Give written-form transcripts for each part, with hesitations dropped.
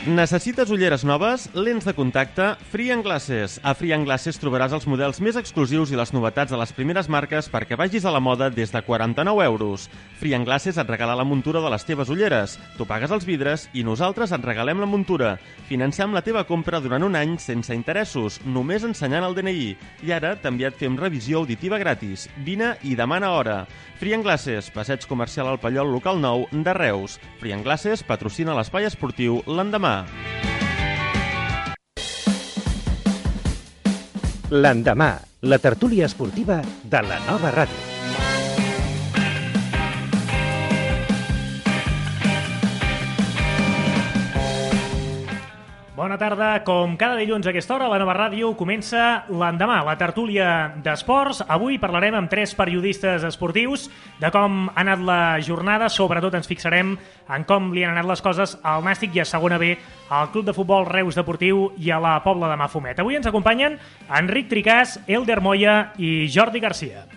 Necessites ulleres noves, lents de contacte, Free & Glasses. A Free & Glasses trobaràs els models més exclusius i les novetats de les primeres marques perquè vagis a la moda des de 49 euros. Free & Glasses et regala la muntura de les teves ulleres. Tu pagues els vidres i nosaltres et regalem la muntura. Financem la teva compra durant un any sense interessos, només ensenyant el DNI. I ara també et fem revisió auditiva gratis. Vine i demana hora. Free & Glasses, passeig comercial al Pallol local 9 de Reus. Free & Glasses patrocina l'espai esportiu L'Endemà. L'Endemà, la tertúlia esportiva de la Nova Ràdio. Bona tarda. Com cada dilluns a aquesta hora, a la Nova Ràdio comença l'Endemà, la tertúlia d'esports. Avui parlarem amb 3 periodistes esportius de com ha anat la jornada. Sobretot ens fixarem en com li han anat les coses al Nàstic i a segona B al Club de Futbol Reus Deportiu i a la Pobla de Mafumet. Avui ens acompanyen Enric Tricàs, Elder Moya i Jordi Garcia.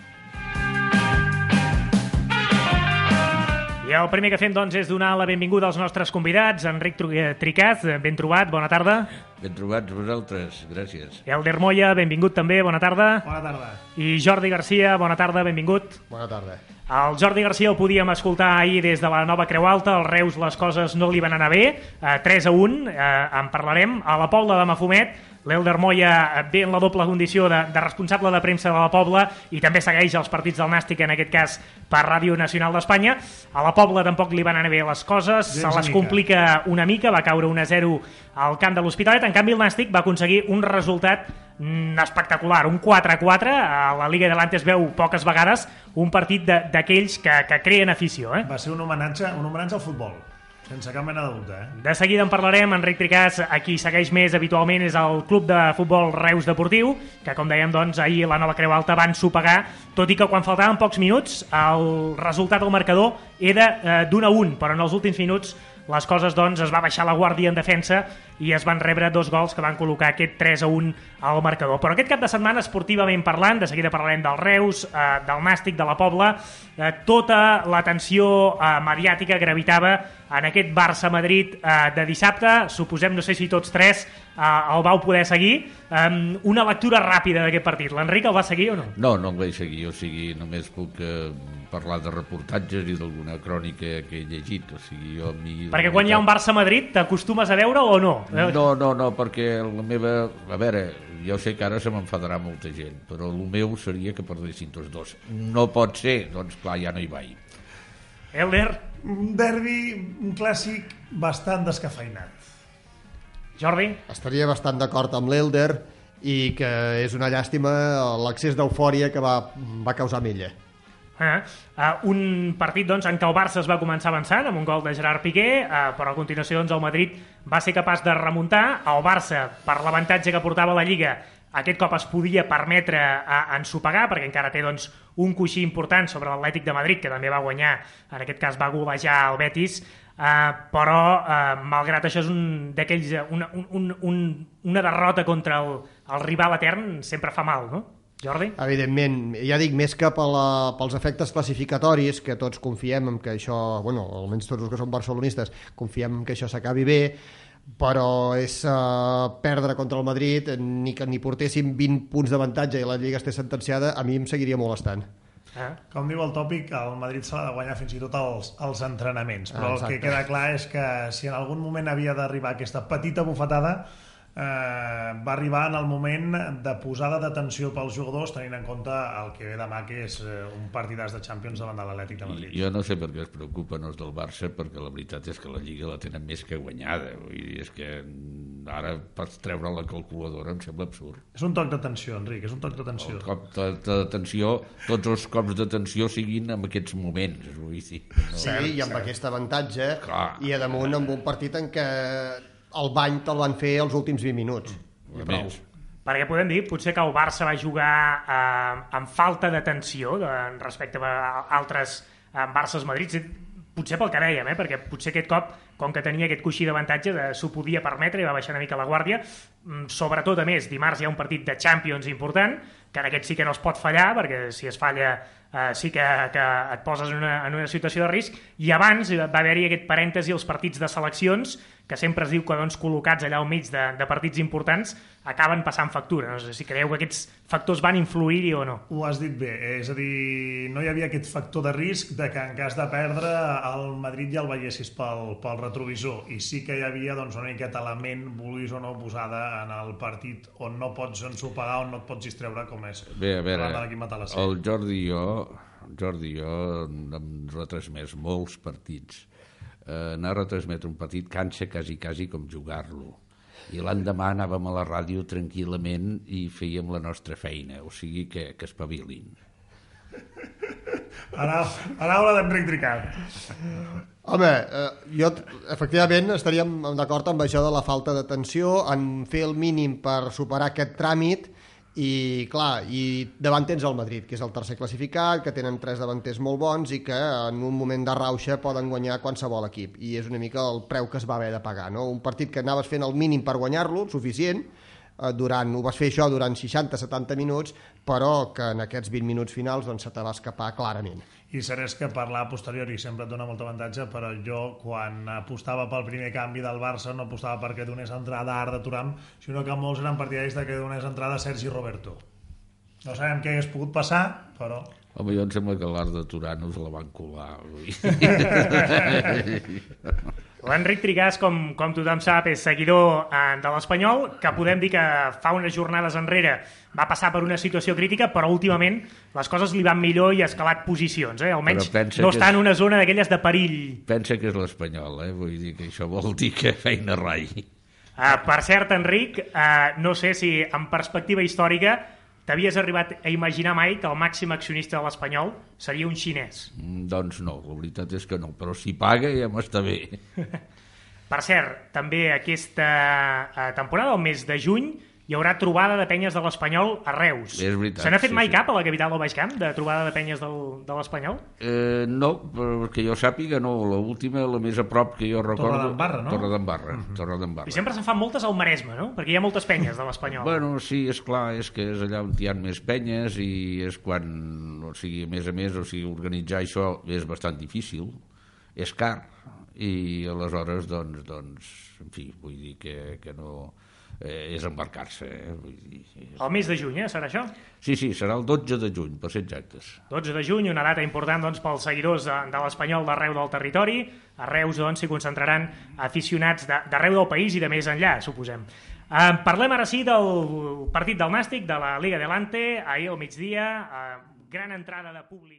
I el primer que fem, doncs, és donar la benvinguda als nostres convidats. Enric Tricàs, ben trobat, bona tarda. Ben trobats vosaltres, gràcies. Elder Moya, benvingut també, bona tarda. Bona tarda. I Jordi Garcia, bona tarda, benvingut. Bona tarda. El Jordi Garcia el podíem escoltar ahir des de la Nova Creu Alta. Al Reus les coses no li van anar bé, 3-1, en parlarem. A la Pobla de Mafumet, l'Elder Moya ve en la doble condició de responsable de premsa de la Pobla i també segueix els partits del Nàstic, en aquest cas per Ràdio Nacional d'Espanya. A la Pobla tampoc li van anar bé les coses, se les complica una mica, va caure 1-0 al camp de l'Hospitalet. En canvi el Nàstic va aconseguir un resultat espectacular, un 4-4. A la Liga Adelante es veu poques vegades un partit d'aquells que creen afició. Va ser un homenatge al futbol, sense cap mena de dubte. De seguida en parlarem. Enric Tricàs, a qui segueix més habitualment és el Club de Futbol Reus Deportiu, que com dèiem, doncs, ahir la Nova Creu Alta van sopegar, tot i que quan faltaven pocs minuts el resultat al marcador era d'1-1, però en els últims minuts les coses, doncs, es va baixar la guàrdia en defensa i es van rebre 2 gols que van col·locar aquest 3-1 al marcador. Però aquest cap de setmana, esportivament parlant, de seguida parlarem del Reus, del Nàstic, de la Pobla, tota l'atenció mediàtica gravitava en aquest Barça-Madrid de dissabte. Suposem, no sé si tots 3 el vau poder seguir. Una lectura ràpida d'aquest partit. L'Enric el va seguir o no? No, no el vaig seguir, o sigui, només puc parlar de reportatges i d'alguna crònica que he llegit, o sigui, jo... Perquè quan hi ha un Barça-Madrid t'acostumes a veure o no? No, perquè la meva... A veure, jo sé que ara se m'enfadarà molta gent, però el meu seria que perdessin tots dos. No pot ser, doncs clar, ja no hi vaig. Elder? Un derbi, un clàssic bastant descafeinat. Jordi? Estaria bastant d'acord amb l'Elder i que és una llàstima l'accés d'eufòria que va causar amb ella. Un partit, doncs, en què el Barça es va començar avançant amb un gol de Gerard Piqué, però a continuació, doncs, el Madrid va ser capaç de remuntar. El Barça, per l'avantatge que portava la Lliga, aquest cop es podia permetre ensopegar, perquè encara té, doncs, un coixí important sobre l'Atlètic de Madrid, que també va guanyar, en aquest cas va golejar el Betis, però malgrat això és un d'aquells una derrota contra el rival etern sempre fa mal, no? Jordi? Evidentment, ja dic, més que pels efectes classificatoris, que tots confiem en que això, bueno, almenys tots els que som barcelonistes, confiem en que això s'acabi bé, però és perdre contra el Madrid, ni que ni portéssim 20 punts d'avantatge i la Lliga estés sentenciada, a mi em seguiria molestant. Com diu el tòpic, el Madrid se l'ha de guanyar fins i tot els entrenaments, però el que queda clar és que si en algun moment havia d'arribar aquesta petita bufetada, va arribar en el moment de posada d'atenció pels jugadors, tenint en compte el que ve demà, que és un partidàs de Champions davant de l'Atlètic de Madrid. Jo no sé per què es preocupen els del Barça, perquè la veritat és que la Lliga la tenen més que guanyada. Vull dir, és que ara pots treure la calculadora, em sembla absurd. És un toc d'atenció, Enric, és un toc d'atenció. El cop d'atenció, tots els cops d'atenció siguin en aquests moments, vull dir. Sí, i amb aquest avantatge, i a damunt amb un partit en què el bany te'l van fer els últims 20 minuts. Perquè podem dir, potser que el Barça va jugar amb falta d'atenció respecte a altres Barças-Madrid, potser pel que dèiem, perquè potser aquest cop, com que tenia aquest coixí d'avantatge, s'ho podia permetre i va baixar una mica la guàrdia. Sobretot, a més, dimarts hi ha un partit de Champions important, que en aquest sí que no es pot fallar, perquè si es falla sí que et poses en una situació de risc. I abans va haver-hi aquest parèntesi als partits de seleccions, que sempre es diu que col·locats allà al mig de partits importants acaben passant factura. No sé si creieu que aquests factors van influir-hi o no. Ho has dit bé, és a dir, no hi havia aquest factor de risc de que en cas de perdre el Madrid ja el veiessis pel retrovisor, i sí que hi havia doncs, una miqueta element, vulguis o no, posada en el partit on no pots ensopegar, on no et pots distreure, com és bé, a veure, el Jordi i jo hem retransmès molts partits. Anar a retransmetre un partit cansa quasi com jugar-lo, i l'endemà anàvem a la ràdio tranquil·lament i fèiem la nostra feina, o sigui que espavilin. Paraula d'Enric Ricard. Home, jo efectivament estaríem d'acord amb això de la falta d'atenció, en fer el mínim per superar aquest tràmit. I clar, i davant tens el Madrid, que és el tercer classificat, que tenen 3 davanters molt bons i que en un moment de rauxa poden guanyar qualsevol equip, i és una mica el preu que es va haver de pagar, no? Un partit que anaves fent el mínim per guanyar-lo, suficient, ho vas fer això durant 60-70 minuts, però que en aquests 20 minuts finals doncs, se te va escapar clarament. I cert que parlar a posteriori sempre et dona molt avantatge, però jo quan apostava pel primer canvi del Barça no apostava perquè donés entrada a Arda Turam, sinó que molts eren partidaris de que donés entrada a Sergi Roberto. No sabem què hagués pogut passar, però... Home, jo em sembla que l'Arda Turam us la van colar. L'Enric Trigàs, com tothom sap, és seguidor de l'Espanyol, que podem dir que fa unes jornades enrere va passar per una situació crítica, però últimament les coses li van millor i ha escalat posicions. Almenys no està en una zona d'aquelles de perill. Pensa que és l'Espanyol, vull dir que això vol dir que feina rai. Per cert, Enric, no sé si en perspectiva històrica t'havies arribat a imaginar mai que el màxim accionista de l'Espanyol seria un xinès? Doncs no, la veritat és que no, però si paga ja m'està bé. Per cert, també aquesta temporada, el mes de juny, hi haurà trobada de penyes de l'Espanyol a Reus. És veritat. Se n'ha fet mai cap a la capital del Baix Camp, de trobada de penyes de l'Espanyol? No, perquè jo sàpiga no. L'última, la més a prop que jo recordo... Torredembarra, no? I sempre se'n fan moltes al Maresme, no? Perquè hi ha moltes penyes de l'Espanyol. Bueno, sí, és clar, és que és allà on hi ha més penyes i és quan, o sigui, a més, organitzar això és bastant difícil, és car, i aleshores, doncs, en fi, vull dir que no... és embarcar-se. El mes de juny, serà això? Sí, serà el 12 de juny, per ser exactes. 12 de juny, una data important doncs, pels seguidors de l'Espanyol d'arreu del territori. A Reus doncs, s'hi concentraran aficionats d'arreu del país i de més enllà, suposem. Parlem ara sí del partit del Nàstic, de la Liga Adelante, ahir al migdia, gran entrada de públic.